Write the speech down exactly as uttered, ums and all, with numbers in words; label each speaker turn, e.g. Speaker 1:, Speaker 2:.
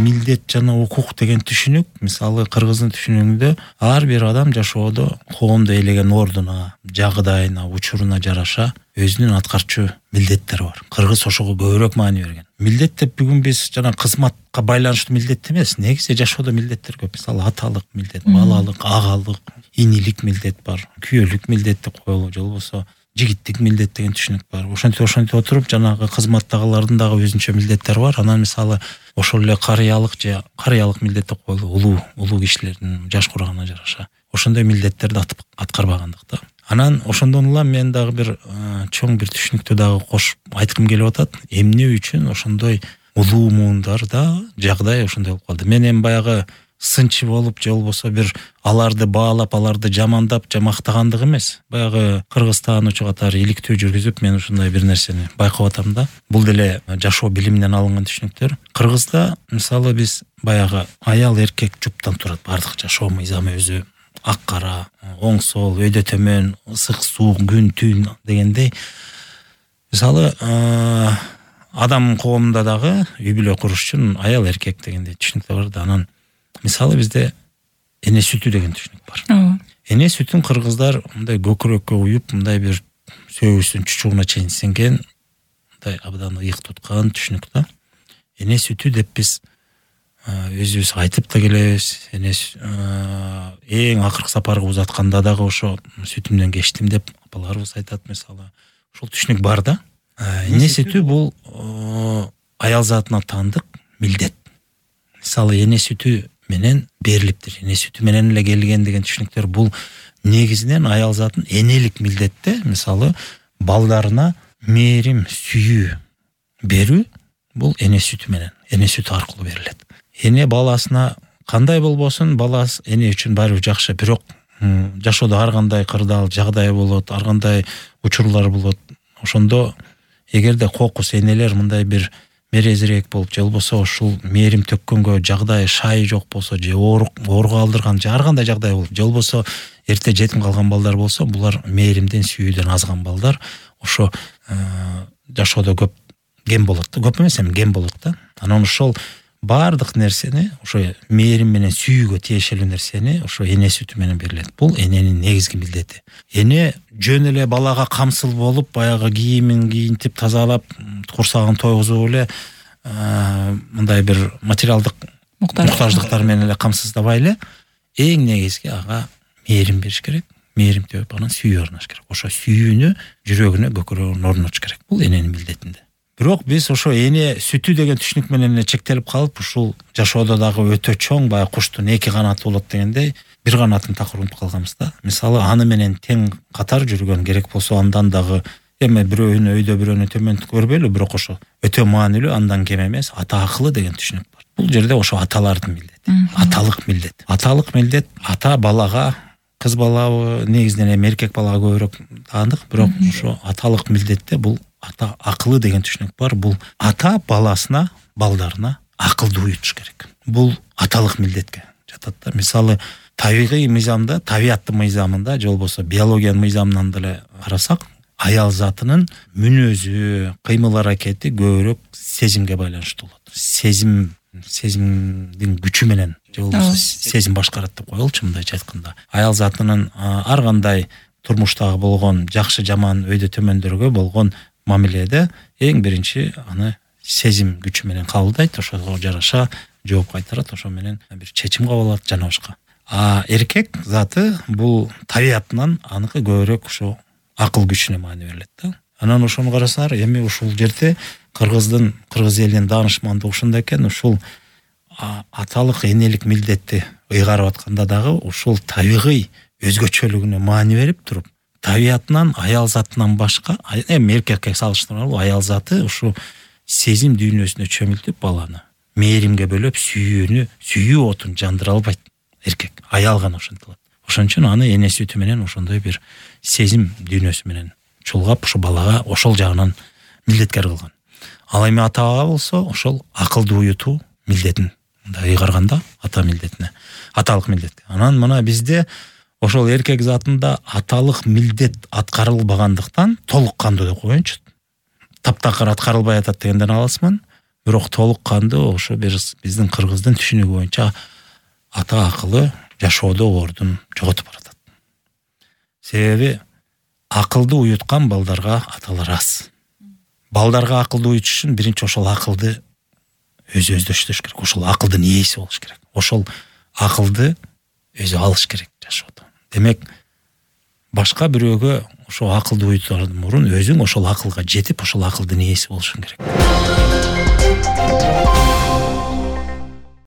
Speaker 1: милдет жана укук деген түшүнүк, мисалы кыргыздын түшүнүгүндө ар бир адам жашоодо коомдо ээлеген ордуна, жагдайына, учуруна жараша өзүнүн аткарчу милдеттери бар. Кыргыз ошого көбүрөөк маани берген. Милдет деп бүгүн биз жана кызматка байланыштуу милдет эмес, негизи жашоодо милдеттер көп. Мисалы аталык милдет, балалык, агалык, инилик милдет бар, күйөөлүк милдет деп коелу, же болбосо жигиттик милдет деген түшүнүк бар. Ошентип ошентип отуруп жанагы кызматтагылардын дагы өзүнчө милдеттери бар. Анан мисалы ошол эле карыялык же карыялык милдет деп коелу, улуу улуу кишилердин жаш курагына жараша ошондой милдеттерди аткарбагандык да. Анан ошондон улам мен дагы бир чоң бир түшүнүктү дагы кошуп айткым келип атат. Эмне үчүн ошондой улуу муундарда жагдай ошондой болуп калды? Мен эми баягы сынчы болуп же болбосо бир аларды баалап, аларды жамандап, же мактагандык эмес. Баягы кыргыз таануучу катары иликтөө жүргүзүп мен ушундай бир нерсени байкап атам да. Бул деле жашоо билиминен алынган түшүнүктөр. Кыргызда мисалы биз баягы аял эркек жуптан турат, бардык жашоо мыйзамы өзү ак кара, оң сол, өйдө төмөн, ысык суук, күн түн дегендей. Мисалы адам коомунда дагы үй бүлө куруш үчүн аял эркек дегендей түшүнүктөр бар да. Анан мисалы бизде эне сүтү деген түшүнүк бар. Эне сүтүн кыргыздар мындай көкүрөккө уюп, мындай бир сөөгүсүн чучугуна чейин сиңген, мындай абдан ыйык туткан түшүнүк да. Эне сүтү деп биз өзүбүз айтып да келебиз. Эне эң акыркы сапарга узатканда дагы ошо сүтүмдөн кечтим деп апаларыбыз айтат мисалы. Ошол түшүнүк бар да. Эне сүтү бул аял затына таандык милдет. Мисалы эне сүтү менен берилиптир, эне сүтү менен эле келген деген түшүнүктөр бул негизинен аял затын энелик милдетте, мисалы балдарына мээрим, сүйүү берүү бул эне сүтү менен, эне сүтү аркылуу берилет. Эне баласына кандай болбосун, баласы эне үчүн баары бир жакшы, бирок жашоодо ар кандай кырдаал жагдай болот, ар кандай учурлар болот. Ошондо эгерде кокус энелер мындай бир мерезирээк болуп, же болбосо ушул мээрим төккөнгө жагдай шай жок болсо, же ооруга алдырган, же ар кандай жагдай болуп, же болбосо эрте жетим калган балдар болсо, булар мээримден, сүйүүдөн азган балдар ошо жашоодо көп кем болот да, көп эмес эми кем болот да. Анан ошол бардык нерсени, ошо мээрим менен сүйүүгө тиешелүү нерсени ошо эне сүтү менен берилет. Бул эненин негизги милдети. Эне жөн эле балага камсыл болуп, баягы кийимин кийинтип, тазалап, курсагын тойгузуп эле мындай бир материалдык муктаждыктар менен эле камсыздабай эле, эң негизги ага мээрим бериш керек. Мээрим төп, анан сүйүү орнош керек. Ошо сүйүүнү жүрөгүнө, көкүрөгүнө орнотуш керек. Бул эненин милдетинде. Бирок биз ошо эне сүтү деген түшүнүк менен эле чектелип калып, ушул жашоодо дагы өтө чоң, баягы куштун эки канаты болот дегендей, бир канатын такыр унутуп калганбыз да. Мисалы аны менен тең катар жүргөн керек болсо, андан дагы эми бирөөнү өйдө бирөөнү төмөн көрбөйлү, бирок ошо өтө маанилүү, андан кем эмес, ата акылы деген түшүнүк бар. Бул жерде ошо аталардын милдети, аталык милдет. Аталык милдет ата балага, кыз балабы негизинен эми эркек балага көбүрөөк таандык, бирок ошо аталык милдетте бул ата акылы деген түшүнүк бар. Бул ата баласына, балдарына акылды уютуш керек. Бул аталык милдетке жатат да. Мисалы табигый мыйзамда, табияттын мыйзамында, же болбосо биологиянын мыйзамынан деле карасак, аял затынын мүнөзү, кыймыл аракети көбүрөөк сезимге байланыштуу болот. Сезим, сезимдин күчү менен, же болбосо сезим башкарат деп коелучу, мындайча айтканда. Аял затынын ар кандай турмуштагы болгон жакшы жаман өйдө төмөндөргө болгон мамиледе эң биринчи аны сезим күчү менен кабылдайт, ошого жараша жооп кайтарат, ошо менен бир чечим кабыл алат жана башка. А эркек заты бул табиятынан аныкы көбүрөөк ошо акыл күчүнө маани берилет да. Анан ошону карасаңар, эми ушул жерде кыргыздын, кыргыз элинин даанышмандыгы ушунда экен, ушул аталык энелик милдетти ыйгарып атканда дагы ушул табигый өзгөчөлүгүнө маани берип туруп, табиятынан аял затынан башка, эми эркекке салыштырмалуу, аял заты ушу сезим дүйнөсүнө чөмүлтүп баланы мээримге бөлөп, сүйүүнү, сүйүү отун жандыра албайт эркек. Аял гана ошентип алат. Ошон үчүн аны эне сүтү менен ошондой бир сезим дүйнөсү менен чулгап, ошо балага ошол жагынан милдеткер кылган. Ал эми атага болсо, ошол акылды уютуу милдетин мындай ыйгарганда ата милдетине, аталык милдетке. Анан мына бизде ошол эркек затында аталык милдет аткарылбагандыктан толук кандуу деп коеюнчу. Таптакыр аткарылбай атат дегенден алысмын. бирок толук кандуу ошо биздин кыргыздын түшүнүгү боюнча ата акылы жашоодо ордун жоготуп баратат. Себеби акылды уюткан балдарга аталар аз. Балдарга акылды уютуш үчүн биринчи ошол акылды өзү өздөштүрүш керек. Ошол акылдын ээси болуш керек. Ошол акылды өзү алыш керек жашоодо. Демек, башка бирөөгө ошол акылды уютуудан мурун өзүң ошол акылга жетип, ошол акылдын ээси болушуң керек.